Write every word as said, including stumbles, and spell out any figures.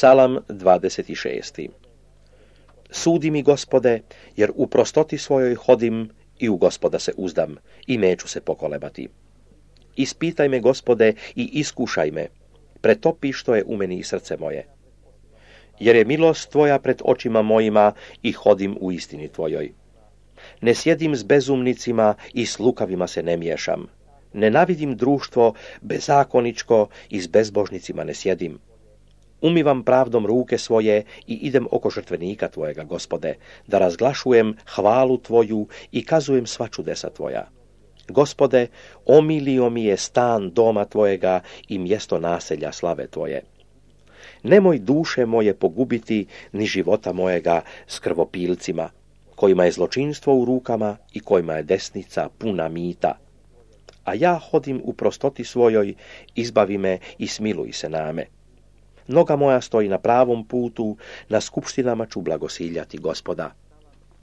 Psalam dvadeset šest. Sudi mi, Gospode, jer u prostoti svojoj hodim i u Gospoda se uzdam i neću se pokolebati. Ispitaj me, Gospode, i iskušaj me, pretopi što je u meni i srce moje. Jer je milost tvoja pred očima mojima i hodim u istini tvojoj. Ne sjedim s bezumnicima i s lukavima se ne miješam. Nenavidim društvo bezakoničko i s bezbožnicima ne sjedim. Umivam pravdom ruke svoje i idem oko žrtvenika tvojega, Gospode, da razglašujem hvalu tvoju i kazujem sva čudesa tvoja. Gospode, omilio mi je stan doma tvojega i mjesto naselja slave tvoje. Nemoj duše moje pogubiti, ni života mojega s krvopilcima, kojima je zločinstvo u rukama i kojima je desnica puna mita. A ja hodim u prostoti svojoj, izbavi me i smiluj se name. Noga moja stoji na pravom putu, na skupštinama ću blagosiljati Gospoda.